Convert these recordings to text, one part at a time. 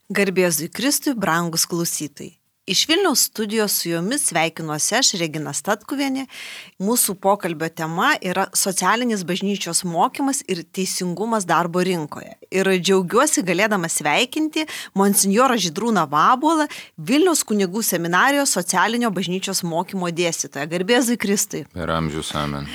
Garbėzui Kristui, brangus klausytojai. Iš Vilniaus studijos su jumis sveikinuosi aš, Regina Statkuvienė. Mūsų pokalbio tema yra socialinis bažnyčios mokymas ir teisingumas darbo rinkoje. Ir džiaugiuosi galėdama sveikinti monsinjorą Žydrūną Vabuolą, Vilniaus kunigų seminarijos socialinio bažnyčios mokymo dėstytoją. Garbėzui Kristui. Per amžius amen.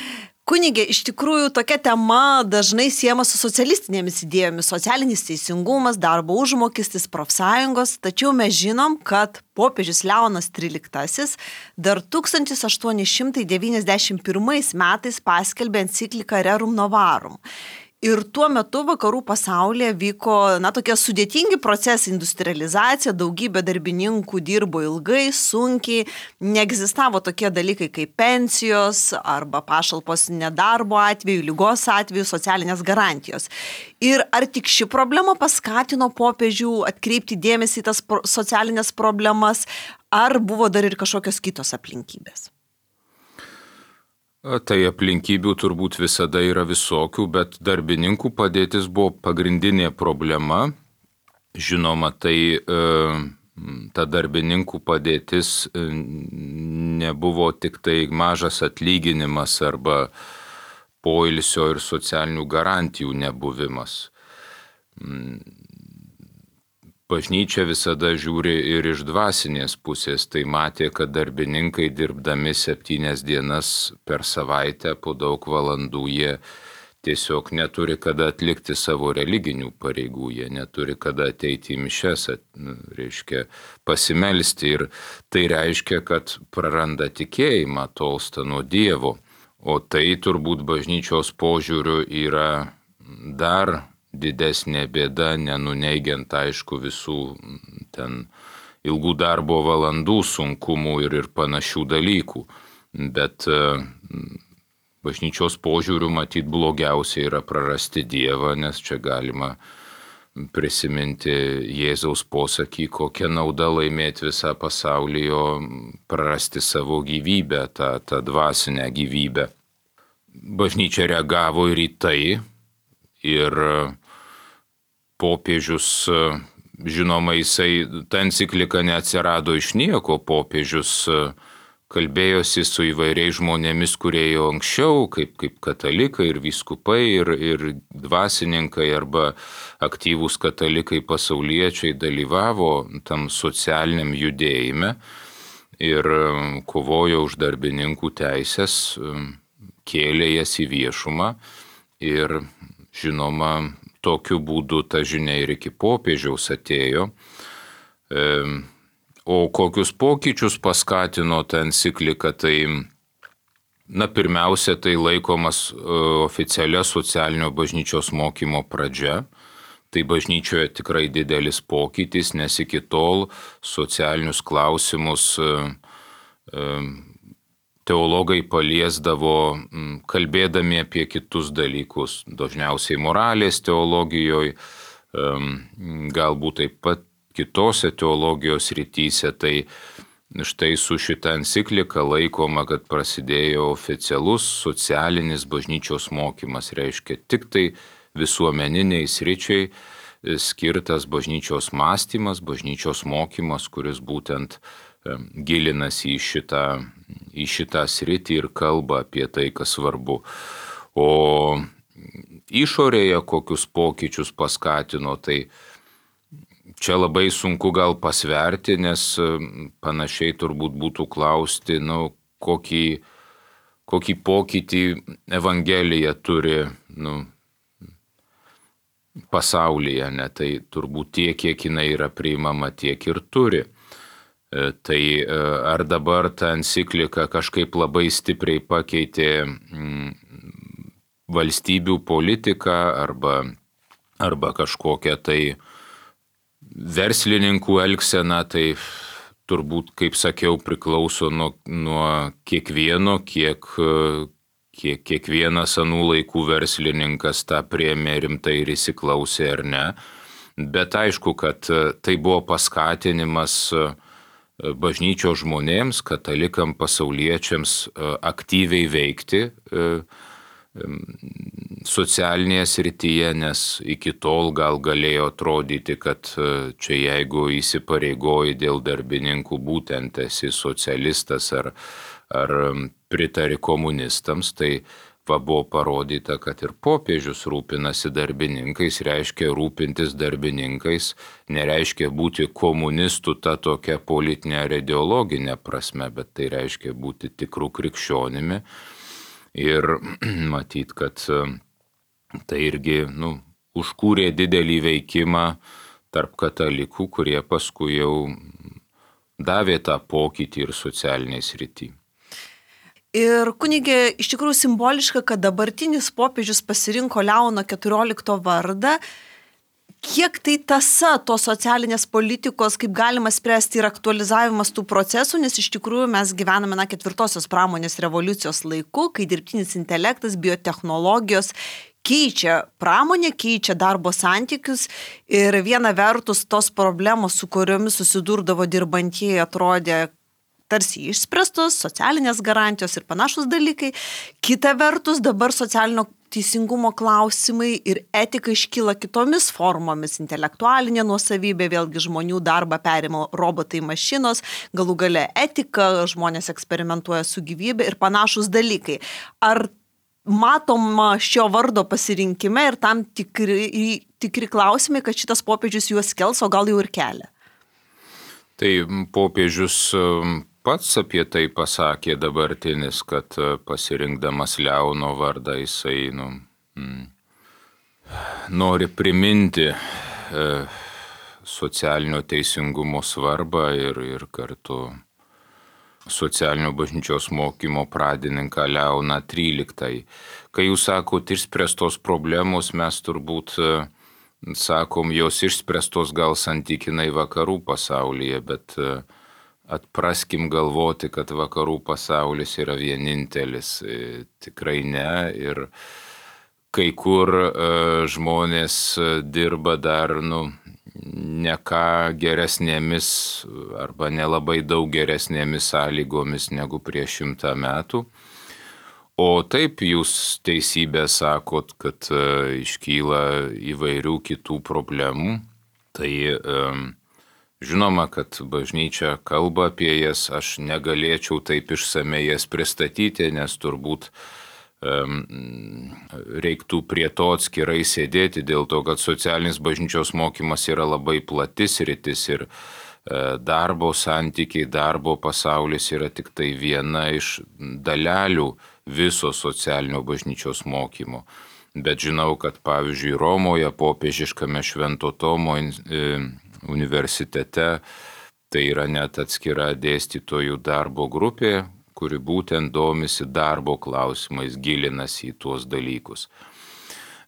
Kunigė, iš tikrųjų tokia tema dažnai siejama su socialistinėmis idėjomis - socialinis teisingumas, darbo užmokestis, profsąjungos, tačiau mes žinom, kad popiežius Leonas XIII dar 1891 metais paskelbė encikliką Rerum Novarum. Ir tuo metu vakarų pasaulyje vyko, tokie sudėtingi procesai, industrializacija, daugybė darbininkų dirbo ilgai, sunkiai, neegzistavo tokie dalykai kaip pensijos arba pašalpos nedarbo atveju, ligos atveju, socialinės garantijos. Ir ar tik ši problema paskatino popiežių atkreipti dėmesį į tas socialinės problemas, ar buvo dar ir kažkokios kitos aplinkybės? Tai aplinkybių turbūt visada yra visokių, bet darbininkų padėtis buvo pagrindinė problema. Žinoma, ta darbininkų padėtis nebuvo tik tai mažas atlyginimas arba poilsio ir socialinių garantijų nebuvimas. Bažnyčia visada žiūri ir iš dvasinės pusės, tai matė, kad darbininkai dirbdami 7 dienas per savaitę po daug valandų jie tiesiog neturi kada atlikti savo religinių pareigų, jie neturi kada ateiti į mišes, reiškia pasimelsti ir tai reiškia, kad praranda tikėjimą, tolsta nuo Dievo, o tai turbūt bažnyčios požiūriu yra dar didesnė bėda, nenuneigiant aišku visų ten ilgų darbo valandų sunkumų ir panašių dalykų. Bet bažnyčios požiūriu matyt blogiausia yra prarasti Dievą, nes čia galima prisiminti Jėzaus posakį, kokią naudą laimėti visą pasaulį, o prarasti savo gyvybę, tą dvasinę gyvybę. Bažnyčia reagavo ir į tai. Ir popiežius, žinoma, ta enciklika neatsirado iš nieko, popiežius kalbėjosi su įvairiais žmonėmis, kurie jau anksčiau, kaip katalikai ir vyskupai ir dvasininkai arba aktyvūs katalikai pasauliečiai dalyvavo tam socialiniam judėjime ir kovojo už darbininkų teisės, kėlė jas į viešumą ir žinoma, tokiu būdu ta žinia ir iki popiežiaus atėjo. O kokius pokyčius paskatino ta enciklika, tai, pirmiausia, tai laikomas oficialia socialinio bažnyčios mokymo pradžia. Tai bažnyčioje tikrai didelis pokytis, nes iki tol socialinius klausimus teologai paliesdavo kalbėdami apie kitus dalykus, dažniausiai moralės teologijoje, galbūt taip pat kitose teologijos rytyse. Tai štai su šita enciklika laikoma, kad prasidėjo oficialus socialinis bažnyčios mokymas, reiškia tik tai visuomeniniai sričiai skirtas bažnyčios mąstymas, bažnyčios mokymas, kuris būtent gilinasi į šitą sritį ir kalba apie tai, kas svarbu. O išorėje kokius pokyčius paskatino, tai čia labai sunku gal pasverti, nes panašiai turbūt būtų klausti, kokį pokytį Evangelija turi pasaulyje, tai turbūt tiek, kiek jinai yra priimama, tiek ir turi. Tai ar dabar ta enciklika kažkaip labai stipriai pakeitė valstybių politiką arba kažkokią tai verslininkų elgseną, tai turbūt, kaip sakiau, priklauso nuo kiekvieno, kiek kiekvienas anų laikų verslininkas tą priėmė rimtai ir įsiklausė ar ne. Bet aišku, kad tai buvo paskatinimas bažnyčios žmonėms, katalikam, pasauliečiams aktyviai veikti socialinėje srityje, nes iki tol gal galėjo atrodyti, kad čia jeigu įsipareigoji dėl darbininkų, būtent esi socialistas ar pritari komunistams, tai buvo parodyta, kad ir popiežius rūpinasi darbininkais, reiškia rūpintis darbininkais, nereiškia būti komunistų ta tokia politinė ar ideologinė prasme, bet tai reiškia būti tikrų krikščionimi. Ir matyt, kad tai irgi užkūrė didelį veikimą tarp katalikų, kurie paskui jau davė tą pokytį ir socialiniai srity. Ir kunigė, iš tikrųjų simboliška, kad dabartinis popiežius pasirinko Leono XIV vardą. Kiek tai tąsa tos socialinės politikos, kaip galima spręsti ir aktualizavimas tų procesų, nes iš tikrųjų mes gyvename 4-osios pramonės revoliucijos laiku, kai dirbtinis intelektas, biotechnologijos keičia pramonę, keičia darbo santykius ir viena vertus tos problemos, su kuriomis susidurdavo dirbantieji, atrodė tarsi išspręstos, socialinės garantijos ir panašus dalykai. Kita vertus, dabar socialinio teisingumo klausimai ir etika iškyla kitomis formomis. Intelektualinė nuosavybė, vėlgi žmonių darbą perima robotai, mašinos, galų gale etika, žmonės eksperimentuoja su gyvybe ir panašus dalykai. Ar matoma šio vardo pasirinkime ir tam tikri klausimai, kad šitas popiežius juos kels, o gal jau ir kelia? Tai popiežius pats apie tai pasakė dabartinis, kad pasirinkdamas Leono vardą jisai nori priminti socialinio teisingumo svarbą ir kartu socialinio bažnyčios mokymo pradininką Leoną XIII. Kai jūs sakot išspręstos problemos, mes turbūt sakom, jos išspręstos gal santykinai vakarų pasaulyje, bet atpraskim galvoti, kad vakarų pasaulis yra vienintelis. Tikrai ne. Ir kai kur žmonės dirba dar ne ką geresnėmis arba nelabai daug geresnėmis sąlygomis negu prieš 100 metų. O taip jūs teisybę sakot, kad iškyla įvairių kitų problemų. Tai žinoma, kad bažnyčia kalba apie jas, aš negalėčiau taip išsamei jas pristatyti, nes turbūt reiktų prie to atskirai sėdėti, dėl to, kad socialinis bažnyčios mokymas yra labai platis sritis ir darbo santykiai, darbo pasaulis yra tik tai viena iš dalelių viso socialinio bažnyčios mokymo. Bet žinau, kad pavyzdžiui Romoje popiežiškame Švento Tomo universitete tai yra net atskira dėstytojų darbo grupė, kuri būtent domisi darbo klausimais, gilinasi į tuos dalykus.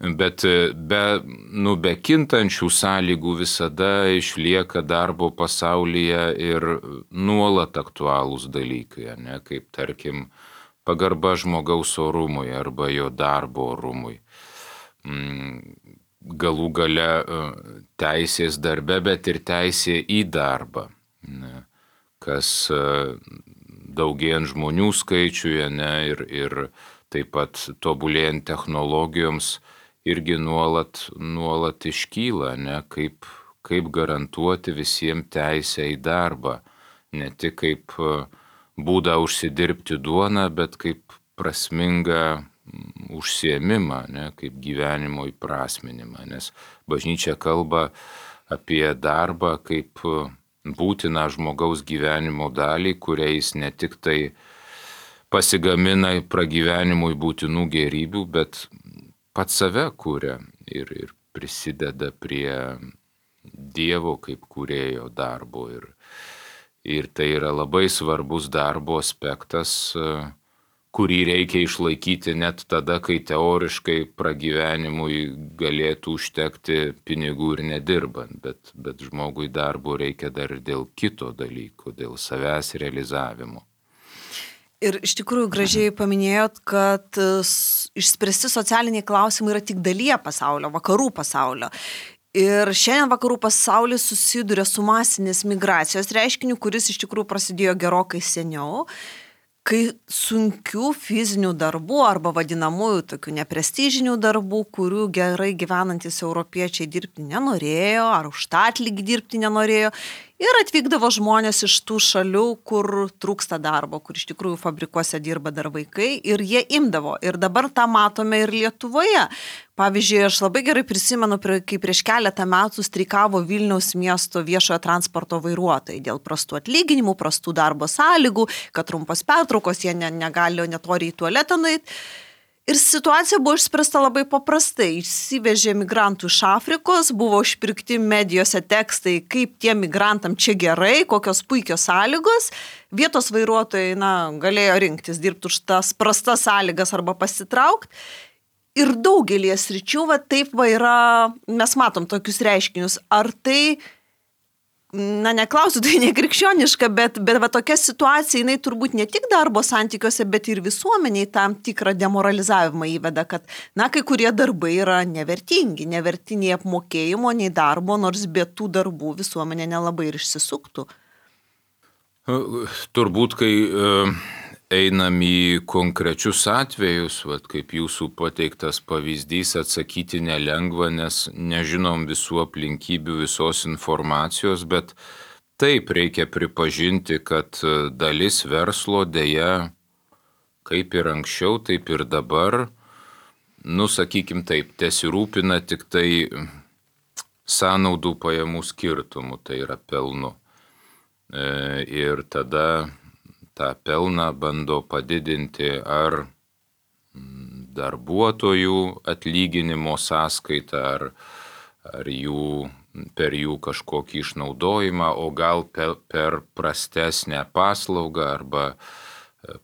Bet be kintančių sąlygų visada išlieka darbo pasaulyje ir nuolat aktualūs dalykai, ne? Kaip tarkim pagarba žmogaus orumui arba jo darbo orumui. Galų gale teisės darbe, bet ir teisė į darbą, kas daugėjant žmonių skaičiuje ir taip pat tobulėjant technologijoms irgi nuolat iškyla, kaip garantuoti visiems teisę į darbą, ne tik kaip būdą užsidirbti duoną, bet kaip prasmingą užsiėmimą, kaip gyvenimo įprasminimą, nes bažnyčia kalba apie darbą kaip būtiną žmogaus gyvenimo dalį, kuriais ne tik tai pasigamina pragyvenimui būtinų gėrybių, bet pats save kuria ir prisideda prie Dievo kaip kūrėjo darbo. Ir tai yra labai svarbus darbo aspektas, kurį reikia išlaikyti net tada, kai teoriškai pragyvenimui galėtų užtekti pinigų ir nedirbant, bet žmogui darbo reikia dar ir dėl kito dalyko, dėl savęs realizavimo. Ir iš tikrųjų gražiai paminėjot, kad išspręsti socialiniai klausimai yra tik dalyje pasaulio, vakarų pasaulio. Ir šiandien vakarų pasaulis susiduria su masinės migracijos reiškiniu, kuris iš tikrųjų prasidėjo gerokai seniau. kai sunkių fizinių darbų arba vadinamųjų tokių neprestižinių darbų, kurių gerai gyvenantis europiečiai dirbti nenorėjo, ar už tą atlygį dirbti nenorėjo, ir atvykdavo žmonės iš tų šalių, kur trūksta darbo, kur iš tikrųjų fabrikuose dirba dar vaikai, ir jie imdavo. Ir dabar tą matome ir Lietuvoje. Pavyzdžiui, aš labai gerai prisimenu, kai prieš keletą metų streikavo Vilniaus miesto viešojo transporto vairuotojai dėl prastų atlyginimų, prastų darbo sąlygų, kad trumpos pertraukos, jie negali net oriai į tualetą nueiti. Ir situacija buvo išspręsta labai paprastai. Išsivežė migrantų iš Afrikos, buvo išpirkti medijose tekstai, kaip tie migrantam čia gerai, kokios puikios sąlygos. Vietos vairuotojai galėjo rinktis, dirbti už tas prastas sąlygas arba pasitraukti. Ir daugelį sričių taip yra, mes matom tokius reiškinius. Ar tai, neklausiu, tai nekrikščioniška, bet tokia situacija, jinai turbūt ne tik darbo santykiuose, bet ir visuomeniai tam tikrą demoralizavimą įveda, kad, kai kurie darbai yra nevertingi, neverti nei apmokėjimo, nei darbo, nors be tų darbų visuomenė nelabai ir išsisuktų. Turbūt, kai einam į konkrečius atvejus, kaip jūsų pateiktas pavyzdys, atsakyti nelengva, nes nežinom visų aplinkybių, visos informacijos, bet taip reikia pripažinti, kad dalis verslo dėja, kaip ir anksčiau, taip ir dabar, sakykim taip, tesirūpina tik tai sąnaudų pajamų skirtumų, tai yra pelnu. Ir tada tą pelną bando padidinti ar darbuotojų atlyginimo sąskaitą, ar per jų kažkokį išnaudojimą, o gal per prastesnę paslaugą arba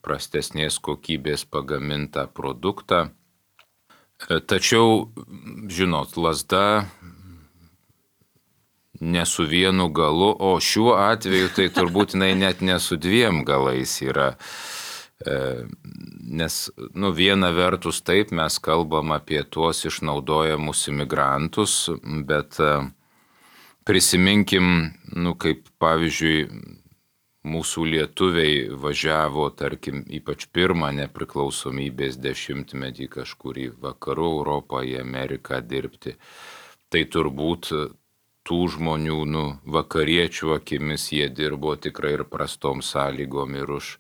prastesnės kokybės pagamintą produktą. Tačiau, žinot, lazda ne su vienu galu, o šiuo atveju tai turbūt net ne su dviem galais yra. Nes, viena vertus taip mes kalbam apie tuos išnaudojamus imigrantus, bet prisiminkim, kaip pavyzdžiui, mūsų lietuviai važiavo, tarkim, ypač pirmą nepriklausomybės dešimtmetį kažkur į vakarų Europą, į Ameriką dirbti. Tai turbūt tų žmonių, vakariečių akimis jie dirbo tikrai ir prastom sąlygom ir už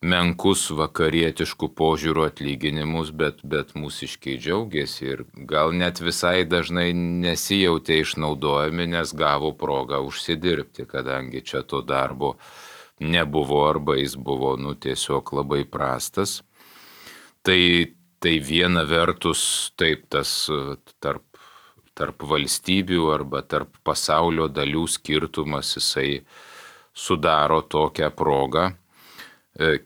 menkus vakarietiškų požiūrų atlyginimus, bet mūsiškiai džiaugiasi ir gal net visai dažnai nesijautė išnaudojami, nes gavo progą užsidirbti, kadangi čia to darbo nebuvo arba jis buvo tiesiog labai prastas. Tai viena vertus taip tas tarp valstybių arba tarp pasaulio dalių skirtumas jisai sudaro tokią progą.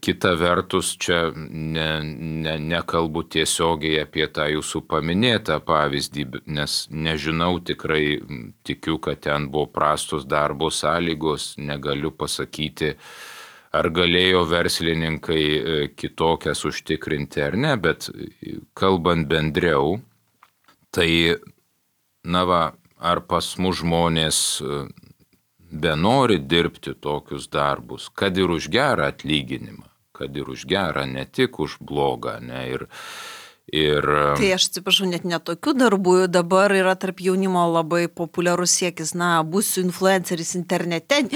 Kita vertus, čia nekalbu tiesiogiai apie tą jūsų paminėtą pavyzdį, nes nežinau, tikrai tikiu, kad ten buvo prastos darbo sąlygos, negaliu pasakyti, ar galėjo verslininkai kitokias užtikrinti ar ne, bet kalbant bendriau, tai ar pas mus žmonės benori dirbti tokius darbus, kad ir už gerą atlyginimą, kad ir už gerą, ne tik už blogą, ne, ir Tai aš atsiprašau, net netokių darbų dabar yra tarp jaunimo labai populiarus siekis, būsiu influenceris internete,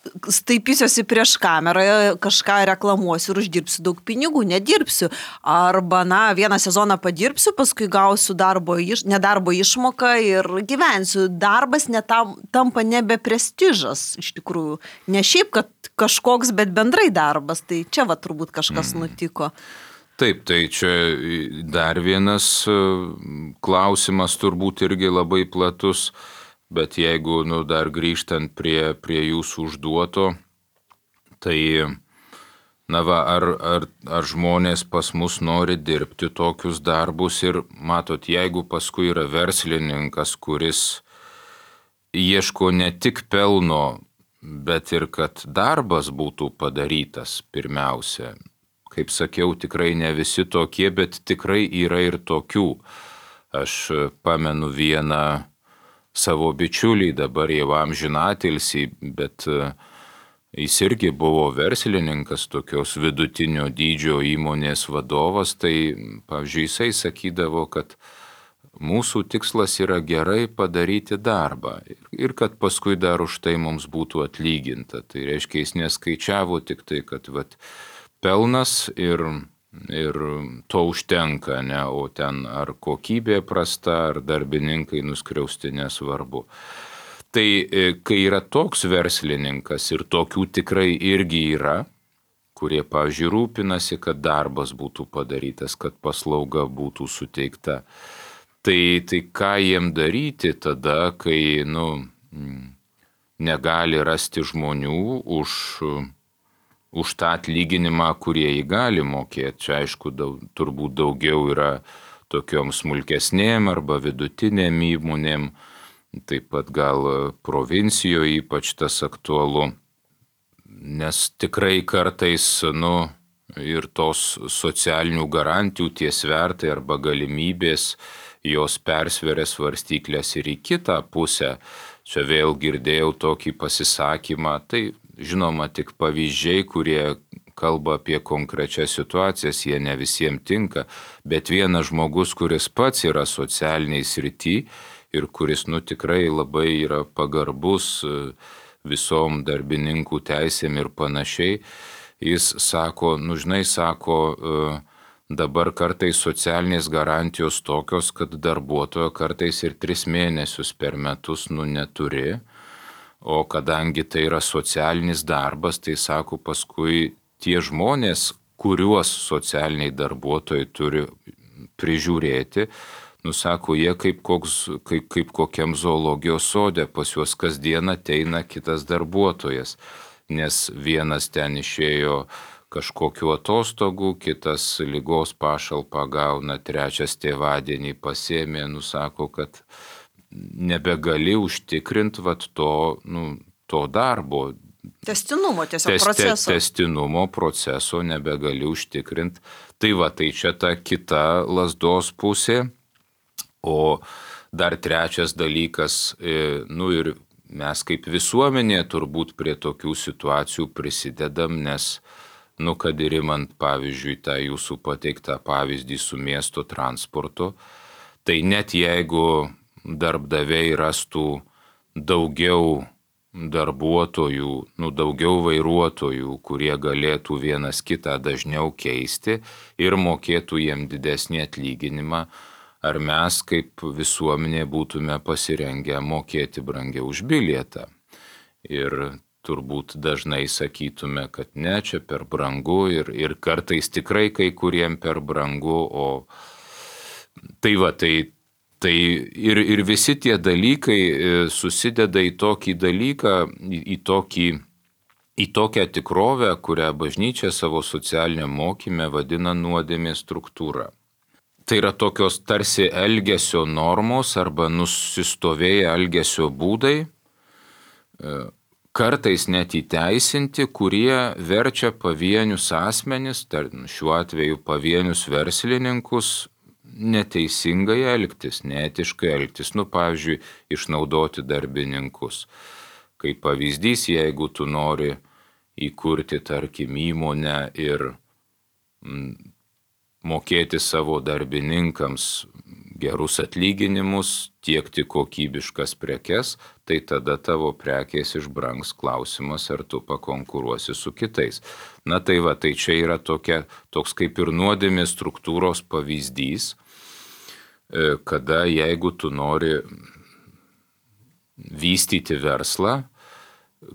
staipysiuosi prieš kamerą, kažką reklamuosiu ir uždirbsiu daug pinigų, nedirbsiu. Arba, vieną sezoną padirbsiu, paskui gausiu nedarbo išmoką ir gyvensiu. Darbas tampa nebe prestižas, iš tikrųjų. Ne šiaip, kad kažkoks, bet bendrai darbas. Tai čia turbūt kažkas nutiko. Taip, tai čia dar vienas klausimas turbūt irgi labai platus. Bet jeigu dar grįžtant prie jūsų užduoto, tai ar žmonės pas mus nori dirbti tokius darbus ir matot, jeigu paskui yra verslininkas, kuris ieško ne tik pelno, bet ir kad darbas būtų padarytas pirmiausia. Kaip sakiau, tikrai ne visi tokie, bet tikrai yra ir tokių. Aš pamenu vieną savo bičiulį, dabar jau amžinatilsį, bet Jis irgi buvo verslininkas, tokios vidutinio dydžio įmonės vadovas, tai, pavyzdžiui, jisai sakydavo, kad mūsų tikslas yra gerai padaryti darbą ir kad paskui dar už tai mums būtų atlyginta. Tai reiškia, jis neskaičiavo tik tai, kad pelnas ir to užtenka, ne, o ten ar kokybė prasta, ar darbininkai nuskriausti, nesvarbu. Tai kai yra toks verslininkas ir tokių tikrai irgi yra, kurie, pavyzdžiui, rūpinasi, kad darbas būtų padarytas, kad paslauga būtų suteikta, tai ką jiem daryti tada, kai negali rasti žmonių už tą atlyginimą, kurie jį gali mokėti. Čia aišku, turbūt daugiau yra tokiom smulkesnėm arba vidutinėm įmonėm, taip pat gal provincijoje ypač tas aktualu, nes tikrai kartais, ir tos socialinių garantijų tie svertai arba galimybės, jos persveria svarstyklės ir į kitą pusę. Čia vėl girdėjau tokį pasisakymą, tai žinoma tik pavyzdžiai, kurie kalba apie konkrečias situacijas, jie ne visiems tinka, bet vienas žmogus, kuris pats yra socialiniai srity ir kuris tikrai labai yra pagarbus visom darbininkų teisėm ir panašiai, jis sako, dabar kartais socialinės garantijos tokios, kad darbuotojo kartais ir 3 mėnesius per metus neturi, o kadangi tai yra socialinis darbas, tai sako, paskui tie žmonės, kuriuos socialiniai darbuotojai turi prižiūrėti, sako, jie kaip kokiam zoologijos sode, pas juos kasdien ateina kitas darbuotojas, nes vienas ten išėjo kažkokiu atostogų, kitas ligos pašalpą gauna, trečias tėvadienį pasėmė, sako, kad nebegali užtikrinti to darbo. Tęstinumo tiesiog proceso. Tęstinumo proceso nebegali užtikrinti. Tai čia ta kita lazdos pusė. O dar trečias dalykas, ir mes kaip visuomenė turbūt prie tokių situacijų prisidedam, nes, kad ir imant, pavyzdžiui, tą jūsų pateiktą pavyzdį su miesto transportu, tai net jeigu darbdaviai rastų daugiau darbuotojų, daugiau vairuotojų, kurie galėtų vienas kitą dažniau keisti ir mokėtų jiem didesnį atlyginimą, ar mes kaip visuomenė būtume pasirengę mokėti brangiau už bilietą. Ir turbūt dažnai sakytume, kad ne, čia per brangu ir kartais tikrai kai kuriem per brangu, o tai ir visi tie dalykai susideda į tokį dalyką, į tokią tikrovę, kurią bažnyčia savo socialiniam mokyme vadina nuodėmės struktūra. Tai yra tokios tarsi elgesio normos arba nusistovėję elgesio būdai, kartais net įteisinti, kurie verčia pavienius asmenis, šiuo atveju pavienius verslininkus, neteisingai elgtis, neetiškai elgtis, pavyzdžiui, išnaudoti darbininkus. Kaip pavyzdys, jeigu tu nori įkurti, tarkim, įmonę ir mokėti savo darbininkams gerus atlyginimus, tiekti kokybiškas prekes, tai tada tavo prekės išbrangs. Klausimas, ar tu pakonkuruosi su kitais. Tai čia yra toks kaip ir nuodėmės struktūros pavyzdys, kada jeigu tu nori vystyti verslą,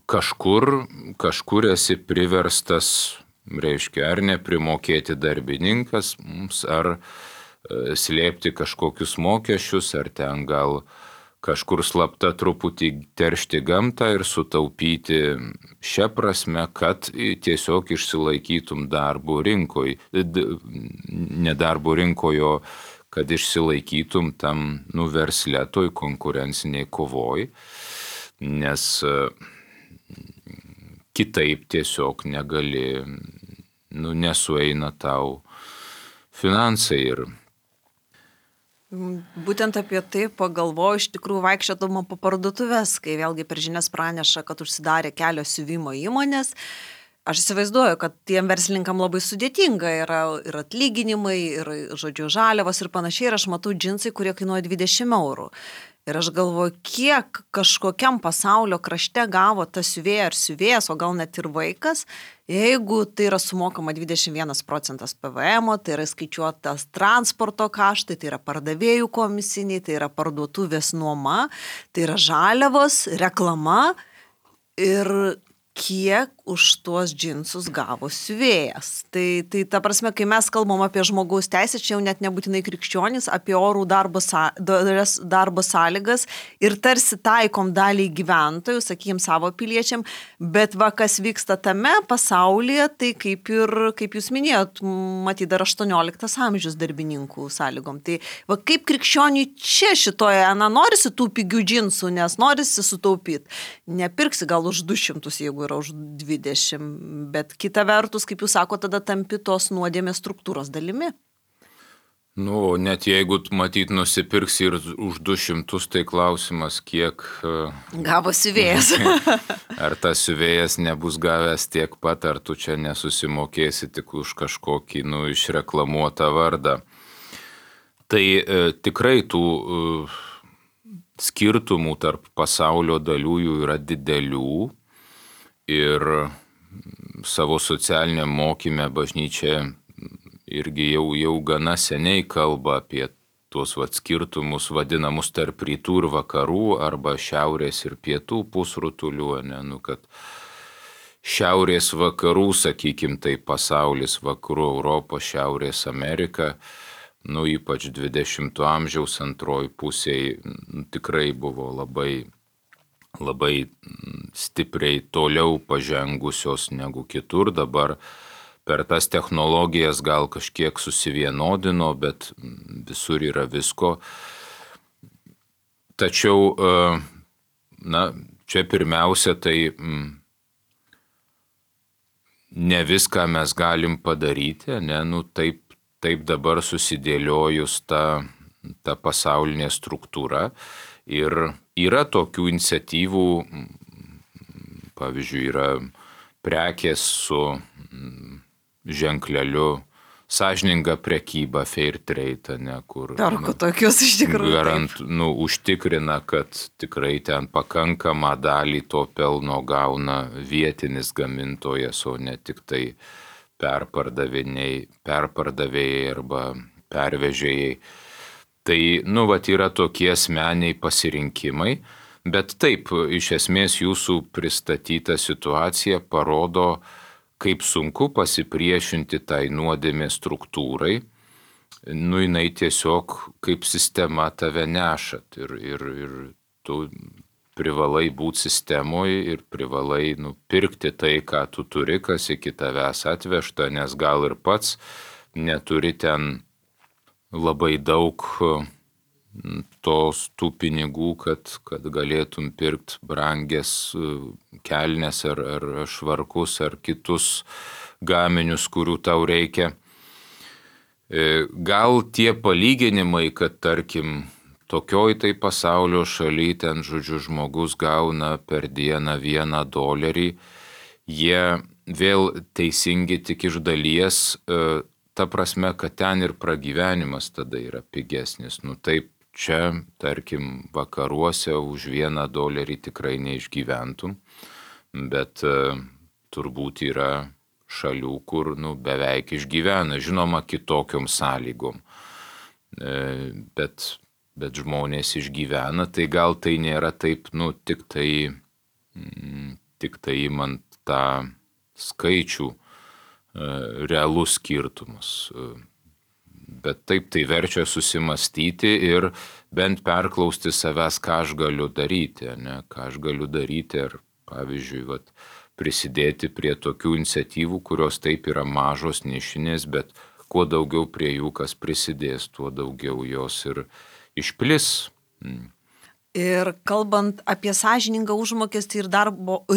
kažkur esi priverstas, reiškia, ar neprimokėti darbininkas, ar slėpti kažkokius mokesčius, ar ten gal kažkur slapta truputį teršti gamtą ir sutaupyti šią prasme, kad tiesiog išsilaikytum darbo rinkoje, ne darbo rinkoje, kad išsilaikytum tam versle, toj konkurenciniai kovoj, nes kitaip tiesiog negali, nesueina tau finansai. Būtent apie tai pagalvoju, iš tikrųjų vaikščiodama po parduotuvės, kai vėlgi per žinias praneša, kad užsidarė kelios siuvimo įmonės. Aš įsivaizduoju, kad tiem verslininkam labai sudėtinga yra ir atlyginimai, ir, žodžiu, žaliavos ir panašiai. Ir aš matau džinsai, kurie kainuoja 20 eurų. Ir aš galvoju, kiek kažkokiam pasaulio krašte gavo tas siuvėja ar siuvėjas, o gal net ir vaikas, jeigu tai yra sumokama 21% PVM, tai yra skaičiuotas transporto kaštai, tai yra pardavėjų komisiniai, tai yra parduotuvės nuoma, tai yra žaliavos, reklama ir kiek už tuos džinsus gavo siuvėjas. Tai ta prasme, kai mes kalbam apie žmogaus teisės, čia jau net nebūtinai krikščionys, apie orų darbo sąlygas ir tarsi taikom daliai gyventojų, sakykim, savo piliečiam, bet va, kas vyksta tame pasaulyje, tai kaip jūs minėjot, matyt, dar 18 amžius darbininkų sąlygom. Tai va, kaip krikščioniui čia šitoje, norisi tų pigių džinsų, nes norisi sutaupyti. Nepirksi gal už 200, jeigu yra už 20, bet kita vertus, kaip jūs sako, tada tampi tos nuodėmės struktūros dalimi. Net jeigu, matyt, nusipirksi ir už 200, tai klausimas, kiek gavo siuvėjas. Ar tas siuvėjas nebus gavęs tiek pat, ar tu čia nesusimokėsi tik už kažkokį, išreklamuotą vardą. Tai tikrai tų skirtumų tarp pasaulio dalių yra didelių. Ir savo socialiniam mokyme bažnyčia irgi jau gana seniai kalba apie tuos skirtumus vadinamus tarp rytų ir vakarų arba šiaurės ir pietų pusrutulių, kad šiaurės vakarų, sakykim, tai pasaulis, vakarų Europos, šiaurės Amerika, ypač 20 amžiaus antroji pusėje tikrai buvo labai stipriai toliau pažengusios negu kitur. Dabar per tas technologijas gal kažkiek susivienodino, bet visur yra visko. Tačiau, čia pirmiausia, tai ne viską mes galim padaryti, taip dabar susidėliojus ta pasaulinė struktūra. Ir yra tokių iniciatyvų, pavyzdžiui, yra prekės su ženkleliu sąžininga prekyba, fair trade, kur Perku tokius iš tikrųjų. Užtikrina, kad tikrai ten pakankamą dalį to pelno gauna vietinis gamintojas, o ne tik tai perpardavėjai arba pervežėjai. Tai, yra tokie asmeniai pasirinkimai, bet taip, iš esmės jūsų pristatyta situacija parodo, kaip sunku pasipriešinti tai nuodėmės struktūrai. Jinai tiesiog kaip sistema tave nešat ir tu privalai būti sistemoje ir privalai pirkti tai, ką tu turi, kas iki tavęs atvežta, nes gal ir pats neturi ten labai daug tų pinigų, kad galėtum pirkti brangias kelnes ar švarkus ar kitus gaminius, kurių tau reikia. Gal tie palyginimai, kad tarkim tokioj tai pasaulio šaly ten, žmogus gauna per dieną $1, jie vėl teisingi tik iš dalies, ta prasme, kad ten ir pragyvenimas tada yra pigesnis. Taip, čia, tarkim, vakaruose už $1 tikrai neišgyventum, bet turbūt yra šalių, kur beveik išgyvena, žinoma, kitokiom sąlygom. Bet žmonės išgyvena, tai gal tai nėra taip, tik tai imant tą skaičių realus skirtumus. Bet taip tai verčia susimastyti ir bent perklausti savęs, ką aš galiu daryti, ką aš galiu daryti, ar pavyzdžiui, prisidėti prie tokių iniciatyvų, kurios taip yra mažos, nišinės, bet kuo daugiau prie jų kas prisidės, tuo daugiau jos ir išplis. Ir kalbant apie sąžiningą užmokestį ir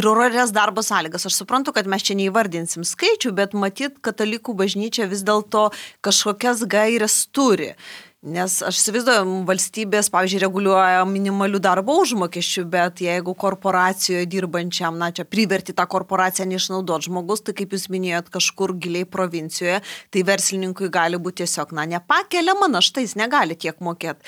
orores darbo sąlygas, aš suprantu, kad mes čia neįvardinsim skaičių, bet matyt, katalikų bažnyčia vis dėlto kažkokias gairias turi. Nes aš įsivaizduoju, valstybės, pavyzdžiui, reguliuoja minimalių darbo užmokesčių, bet jeigu korporacijoje dirbančiam, čia priverti tą korporaciją neišnaudoti žmogus, tai kaip jūs minėjot, kažkur giliai provincijoje, tai verslininkui gali būti tiesiog, nepakeliama našta, jis negali tiek mokėti.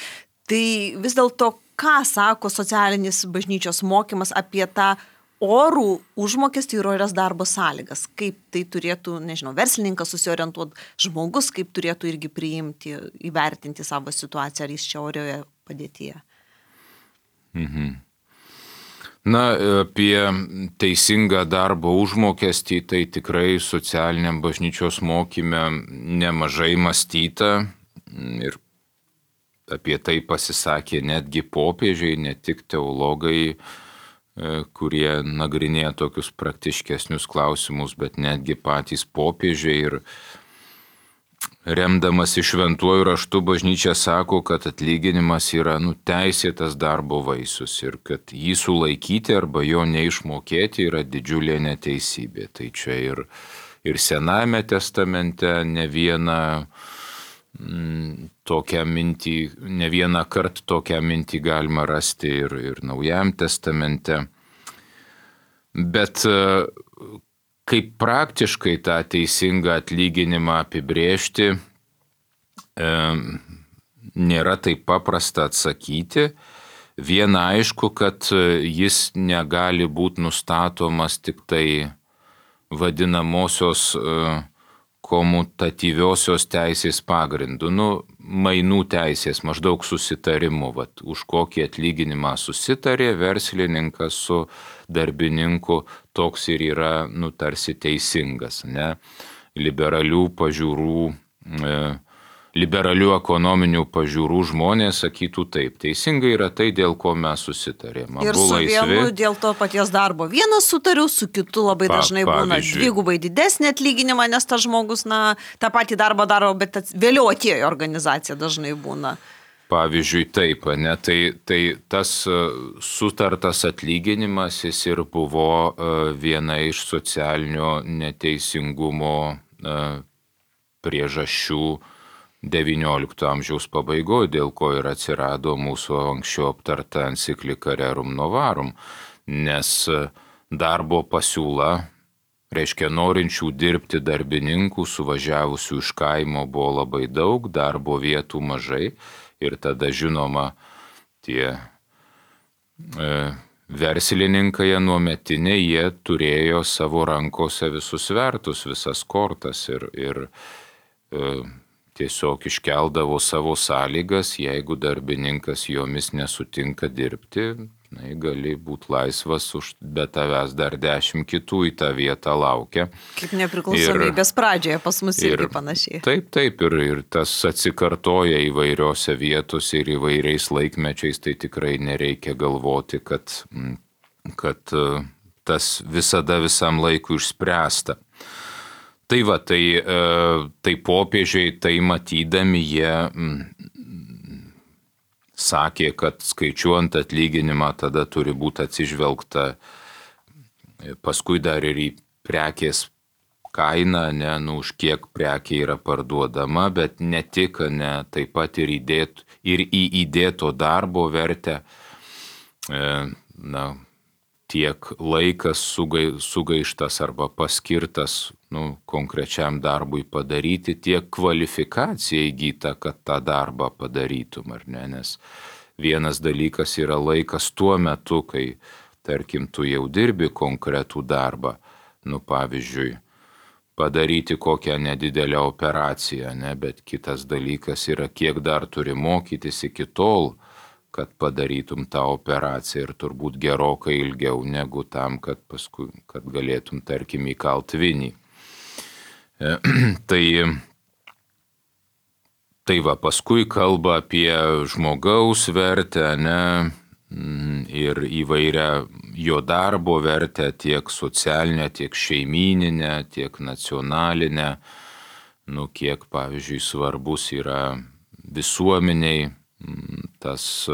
Tai vis dėlto, ką sako socialinis bažnyčios mokymas apie tą orų užmokestį ir orias darbo sąlygas? Kaip tai turėtų, verslininkas susiorientuoti, žmogus kaip turėtų irgi priimti, įvertinti savo situaciją, ar jis čia orioje padėtyje? Apie teisingą darbo užmokestį tai tikrai socialiniam bažnyčios mokyme nemažai mąstyta ir apie tai pasisakė netgi popiežiai, ne tik teologai, kurie nagrinėja tokius praktiškesnius klausimus, bet netgi patys popiežiai. Ir remdamas iš šventuoju raštu bažnyčia sako, kad atlyginimas yra teisėtas darbo vaisius ir kad jį sulaikyti arba jo neišmokėti yra didžiulė neteisybė. Tai čia ir Senajame testamente ne vieną kartą tokią mintį galima rasti ir Naujajam testamente. Bet kaip praktiškai tą teisingą atlyginimą apibrėžti, nėra taip paprasta atsakyti. Viena aišku, kad jis negali būti nustatomas tik tai vadinamosios komutatyviosios teisės pagrindu, mainų teisės, maždaug susitarimu, už kokį atlyginimą susitarė verslininkas su darbininku, toks ir yra, tarsi teisingas, liberalių ekonominių pažiūrų žmonės sakytų taip, teisingai yra tai, dėl ko mes susitarėm. Ir su vienu dėl to paties darbo vienas sutariu, su kitu labai dažnai būna dvigubai didesnį atlyginimą, nes tas žmogus, tą patį darbą daro, bet vėliau atėjo organizacija dažnai būna. Pavyzdžiui, taip, tai tas sutartas atlyginimas jis ir buvo viena iš socialinio neteisingumo priežasčių XIX amžiaus pabaigoje, dėl ko ir atsirado mūsų anksčiau aptarta enciklika Rerum Novarum, nes darbo pasiūla, reiškia norinčių dirbti darbininkų, suvažiavusių iš kaimo buvo labai daug, darbo vietų mažai ir tada žinoma tie verslininkai anuometiniai, jie turėjo savo rankose visus svertus, visas kortas ir tiesiog iškeldavo savo sąlygas, jeigu darbininkas jomis nesutinka dirbti, gali būti laisvas, be tavęs dar 10 kitų į tą vietą laukia. Kaip nepriklausomybės pradžioje pas mus irgi panašiai. Taip, ir tas atsikartoja įvairiose vietose ir įvairiais laikmečiais, tai tikrai nereikia galvoti, kad tas visada visam laikui išspręsta. Tai popiežiai tai matydami jie sakė, kad skaičiuojant atlyginimą tada turi būti atsižvelgta paskui dar ir į prekės kainą, už kiek prekė yra parduodama, bet ne tik, taip pat ir į įdėto darbo vertę, tiek laikas sugaištas arba paskirtas konkrečiam darbui padaryti, tiek kvalifikacija įgyta, kad tą darbą padarytum, ar ne? Nes vienas dalykas yra laikas tuo metu, kai, tarkim, tu jau dirbi konkretų darbą, pavyzdžiui, padaryti kokią nedidelę operaciją, bet kitas dalykas yra, kiek dar turi mokytis iki tol, kad padarytum tą operaciją ir turbūt gerokai ilgiau negu tam, kad galėtum, tarkim, įkalt vinį. Tai paskui kalba apie žmogaus vertę, ir įvairią jo darbo vertę, tiek socialinę, tiek šeimyninę, tiek nacionalinę, kiek, pavyzdžiui, svarbus yra visuomeniai tas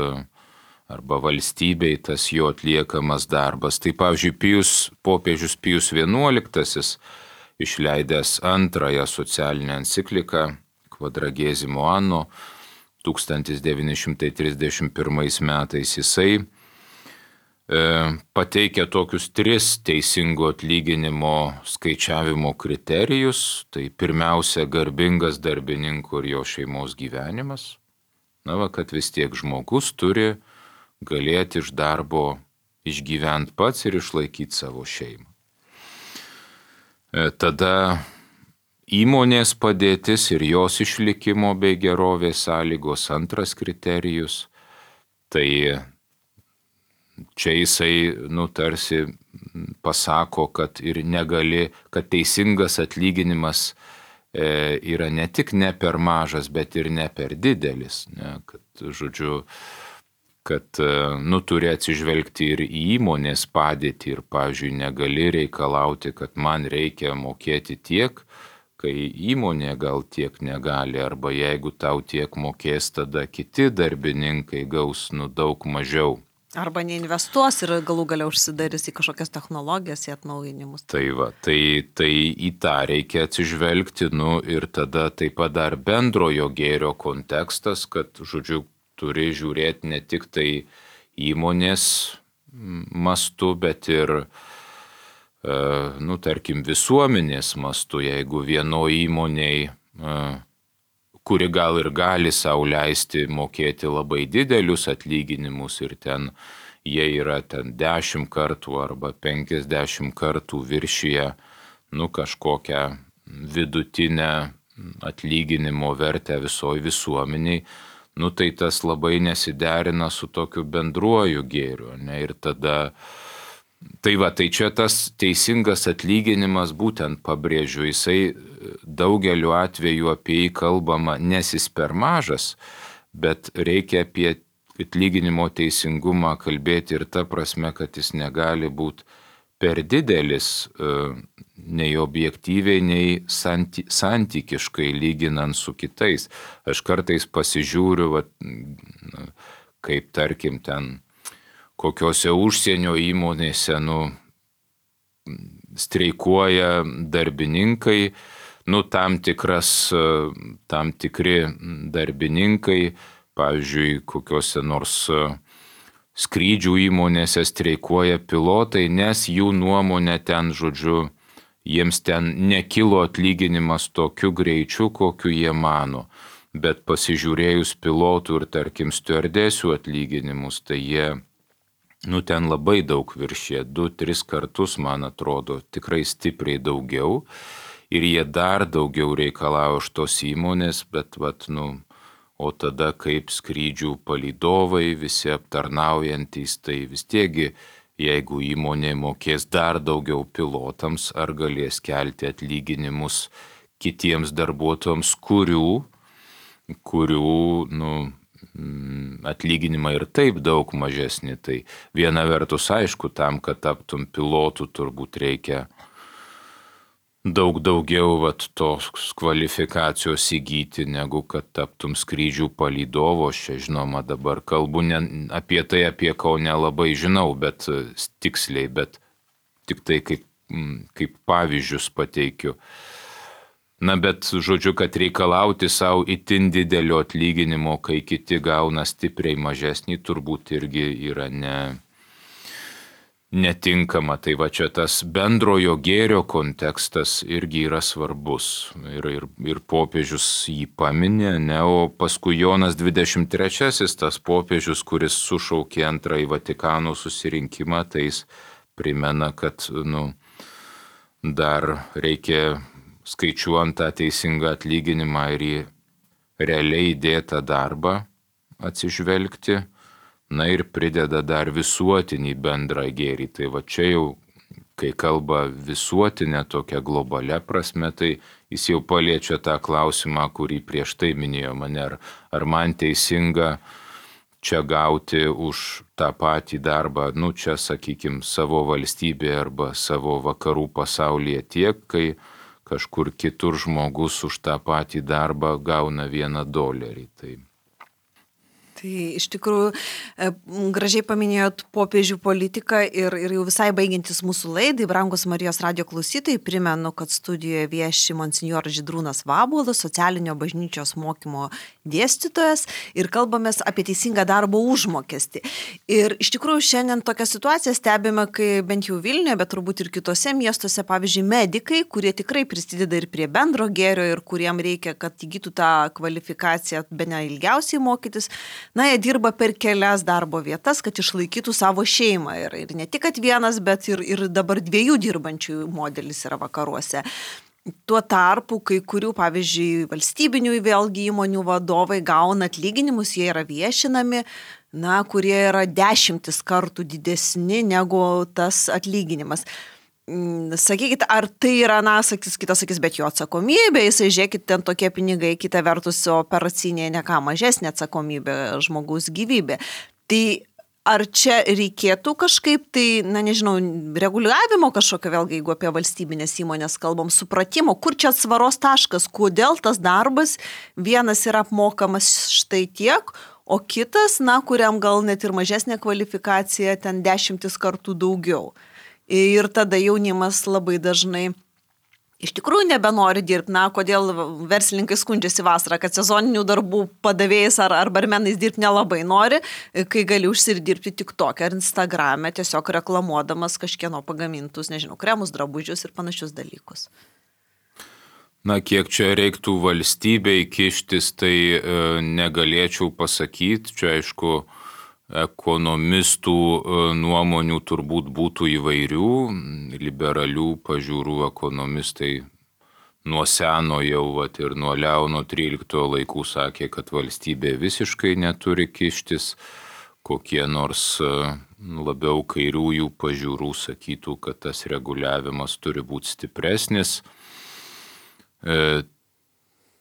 arba valstybei tas jo atliekamas darbas. Tai, pavyzdžiui, popiežius Pijus XI, išleidęs antrąją socialinę encikliką Quadragesimo Anno, 1931 metais jisai pateikia tokius 3 teisingo atlyginimo skaičiavimo kriterijus. Tai pirmiausia, garbingas darbininkų ir jo šeimos gyvenimas. Kad vis tiek žmogus turi galėti iš darbo išgyventi pats ir išlaikyti savo šeimą. Tada įmonės padėtis ir jos išlikimo bei gerovės sąlygos. Antras kriterijus. Tai čia jisai tarsi pasako, kad ir negali, kad teisingas atlyginimas yra ne tik ne per mažas, bet ir ne per didelis. Kad turi atsižvelgti ir į įmonės padėtį ir, pavyzdžiui, negali reikalauti, kad man reikia mokėti tiek, kai įmonė gal tiek negali, arba jeigu tau tiek mokės, tada kiti darbininkai gaus daug mažiau. Arba neinvestuos ir galų galia užsidarys į kažkokias technologijas, į atnaujinimus. Tai į tą reikia atsižvelgti, ir tada taip pat dar bendrojo gėrio kontekstas, kad, turi žiūrėti ne tik tai įmonės mastu, bet ir, tarkim, visuomenės mastu. Jeigu vienoje įmonėje, kuri gal ir gali sau leisti mokėti labai didelius atlyginimus ir ten jie yra 10 kartų arba 50 kartų viršyje kažkokią vidutinę atlyginimo vertę visoje visuomeniai, tai tas labai nesiderina su tokiu bendruoju gėriu. Ir tada, tai čia tas teisingas atlyginimas, būtent pabrėžiu, jisai daugeliu atveju apie jį kalbama, nes jis per mažas, bet reikia apie atlyginimo teisingumą kalbėti ir ta prasme, kad jis negali būti per didelis nei objektyviai, nei santykiškai lyginant su kitais. Aš kartais pasižiūriu, kaip tarkim ten kokiose užsienio įmonėse streikuoja darbininkai, tam tikri darbininkai, pavyzdžiui, kokiose nors skrydžių įmonėse streikuoja pilotai, nes jų nuomonė ten, jiems ten nekilo atlyginimas tokiu greičiu, kokiu jie mano. Bet pasižiūrėjus pilotų ir, tarkim, stiuardesių atlyginimus, tai jie ten labai daug viršė, 2-3 kartus, man atrodo, tikrai stipriai daugiau. Ir jie dar daugiau reikalauja iš tos įmonės, bet o tada kaip skrydžių palydovai, visi aptarnaujantys, tai vis tiegi, jeigu įmonė mokės dar daugiau pilotams, ar galės kelti atlyginimus kitiems darbuotojams, kurių atlyginimai ir taip daug mažesni. Tai viena vertus, aišku, tam, kad taptum pilotu, turbūt reikia daug daugiau tos kvalifikacijos įgyti, negu kad taptum skrydžių palydovo. Aš čia, žinoma, dabar kalbu ne apie tai, apie ko nelabai žinau, bet tiksliai, bet tik tai kaip pavyzdžius pateikiu. Bet kad reikalauti savo itin didelio atlyginimo, kai kiti gauna stipriai mažesnį, turbūt irgi yra netinkama. Tai čia tas bendrojo gėrio kontekstas irgi yra svarbus. Ir popiežius jį paminė, o paskui Jonas 23, tas popiežius, kuris sušaukė antrąjį Vatikano susirinkimą, tai jis primena, kad dar reikia skaičiuojant tą teisingą atlyginimą ir į realiai įdėtą darbą atsižvelgti, ir prideda dar visuotinį bendrą gėrį. Tai čia jau, kai kalba visuotinė tokia globalia prasme, tai jis jau paliečia tą klausimą, kurį prieš tai minėjo mane, ar man teisinga čia gauti už tą patį darbą, čia, sakykime, savo valstybėje arba savo vakarų pasaulyje tiek, kai kažkur kitur žmogus už tą patį darbą gauna $1. Tai iš tikrųjų gražiai paminėjot popiežių politiką ir jau visai baigiantis mūsų laidai, brangus Marijos radijo klausytojai, primenu, kad studijoje vieši monsinjoras Žydrūnas Vabuolas, socialinio bažnyčios mokymo dėstytojas ir kalbamės apie teisingą darbo užmokestį. Ir iš tikrųjų šiandien tokią situaciją stebime, kai bent jau Vilniuje, bet turbūt ir kitose miestuose, pavyzdžiui, medikai, kurie tikrai prisideda ir prie bendro gėrio ir kuriem reikia, kad įgytų tą kvalifikaciją bene ilgiausiai mokytis, na, jie dirba per kelias darbo vietas, kad išlaikytų savo šeimą. Ir ne tik kad vienas, bet ir dabar 2 dirbančių modelis yra vakaruose. Tuo tarpu, kai kurių, pavyzdžiui, valstybinių vėlgi įmonių vadovai gauna atlyginimus, jie yra viešinami, na, kurie yra 10 kartų didesni negu tas atlyginimas. Sakykit, ar tai yra, na, kitas sakys, bet jo atsakomybė, jisai žiūrėkit, ten tokie pinigai, kita vertus operacinė ne ką mažesnė atsakomybė žmogaus gyvybė. Tai ar čia reikėtų kažkaip, tai, na, nežinau, reguliavimo kažkokio, vėlgi, jeigu apie valstybinės įmonės kalbam, supratimo, kur čia atsvaros taškas, kodėl tas darbas vienas yra apmokamas štai tiek, o kitas, na, kuriam gal net ir mažesnė kvalifikacija, ten 10 kartų daugiau. Ir tada jaunimas labai dažnai iš tikrųjų nebenori dirbti. Na, kodėl verslininkai skundžiasi vasarą, kad sezoninių darbų padavėjais ar barmenais dirbti nelabai nori, kai gali užsidirbti TikTok ar Instagrame, tiesiog reklamuodamas kažkieno pagamintus, nežinau, kremus, drabužius ir panašius dalykus. Na, kiek čia reiktų valstybei kištis, tai negalėčiau pasakyti. Čia, aišku, ekonomistų nuomonių turbūt būtų įvairių, liberalių pažiūrų ekonomistai nuo seno jau ir nuo Leono XIII laikų sakė, kad valstybė visiškai neturi kištis, kokie nors labiau kairiųjų pažiūrų sakytų, kad tas reguliavimas turi būti stipresnis.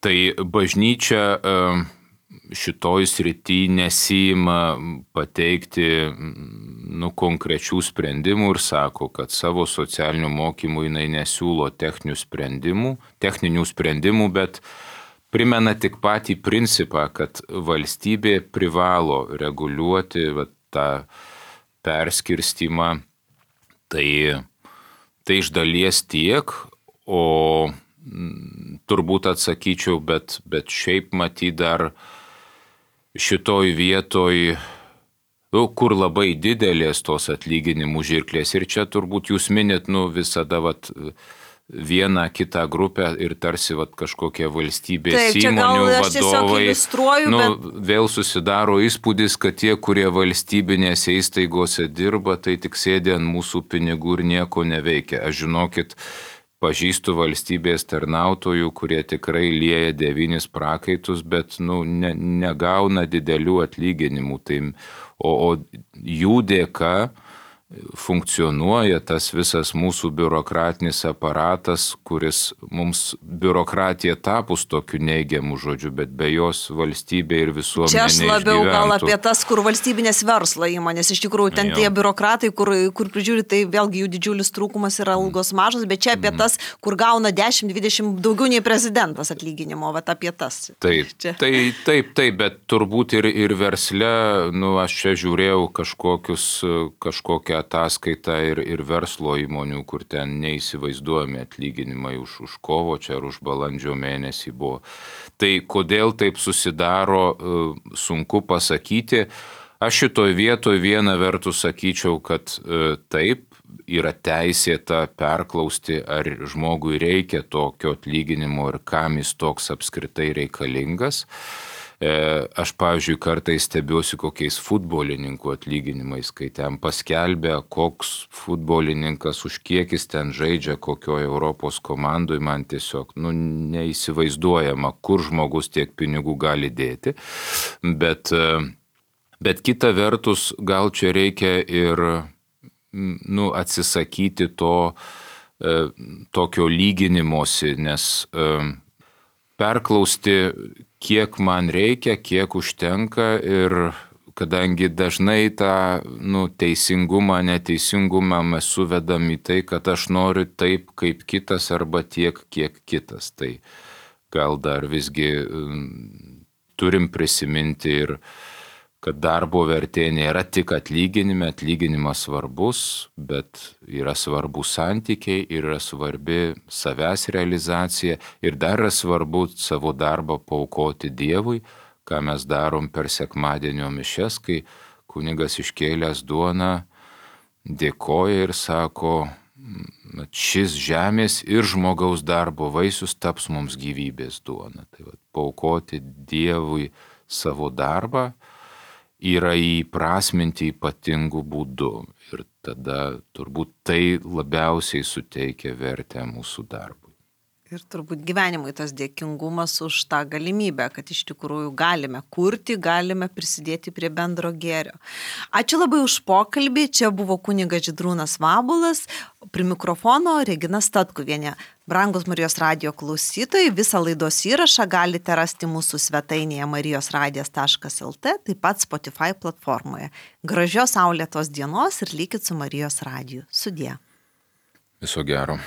Tai bažnyčia šitoj srity nesima pateikti konkrečių sprendimų ir sako, kad savo socialinių mokymų jinai nesiūlo techninių sprendimų, bet primena tik patį principą, kad valstybė privalo reguliuoti tą perskirstimą. Tai iš dalies tiek, o turbūt atsakyčiau, bet šiaip matyt dar šitoj vietoj, kur labai didelės tos atlyginimų žirklės. Ir čia turbūt jūs minit visada vieną kitą grupę ir tarsi kažkokie valstybės įmonių vadovai. Vėl susidaro įspūdis, kad tie, kurie valstybinėse įstaigose dirba, tai tik sėdė ant mūsų pinigų ir nieko neveikia. Aš žinokit, pažįstu valstybės tarnautojų, kurie tikrai lieja 9 prakaitus, bet negauna didelių atlyginimų. O jų dėka funkcionuoja tas visas mūsų biurokratinis aparatas, kuris mums biurokratija tapus tokiu neigiamu žodžiu, bet be jos valstybė ir visuomenė neišgyventų. Čia aš labiau gal apie tas, kur valstybinės verslo įmonės, iš tikrųjų ten tie biurokratai, kur prižiūri, tai vėlgi jų didžiulis trūkumas yra algos mažos, bet čia apie tas, kur gauna 10-20 daugiau nei prezidentas atlyginimo, apie tas. Taip, bet turbūt ir versle, aš čia žiūrėjau kažkokią ataskaitą ir verslo įmonių, kur ten neįsivaizduojami atlyginimai už kovo čia ar už balandžio mėnesį buvo. Tai kodėl taip susidaro, sunku pasakyti. Aš šitoj vietoj viena vertus sakyčiau, kad taip, yra teisėta perklausti, ar žmogui reikia tokio atlyginimo ir kam jis toks apskritai reikalingas. Aš, pavyzdžiui, kartais stebiuosi kokiais futbolininkų atlyginimais, kai ten paskelbė, koks futbolininkas už kiek jis ten žaidžia, kokioje Europos komandoje, man tiesiog neįsivaizduojama, kur žmogus tiek pinigų gali dėti. Bet kita vertus, gal čia reikia ir atsisakyti tokio lyginimosi, nes perklausti, kiek man reikia, kiek užtenka ir kadangi dažnai tą teisingumą, neteisingumą mes suvedam į tai, kad aš noriu taip kaip kitas arba tiek, kiek kitas. Tai gal dar visgi turim prisiminti ir kad darbo vertė nėra tik atlyginime, atlyginimas svarbus, bet yra svarbus santykiai ir yra svarbi savęs realizacija ir dar yra svarbu savo darbą paaukoti Dievui, ką mes darom per sekmadienio mišias, kai kunigas iškėlęs duoną dėkoja ir sako, šis žemės ir žmogaus darbo vaisius taps mums gyvybės duona. Tai paaukoti Dievui savo darbą yra įprasminti ypatingų būdų ir tada turbūt tai labiausiai suteikia vertę mūsų darbui. Ir turbūt gyvenimui tas dėkingumas už tą galimybę, kad iš tikrųjų galime kurti, galime prisidėti prie bendro gėrio. Ačiū labai už pokalbį. Čia buvo kunigas Žydrūnas Vabulas, prie mikrofono Regina Statkuvienė. Brangus Marijos radijo klausytojai, visą laidos įrašą galite rasti mūsų svetainėje marijosradijas.lt, taip pat Spotify platformoje. Gražios saulėtos dienos ir likit su Marijos radiju. Sudie. Viso gero.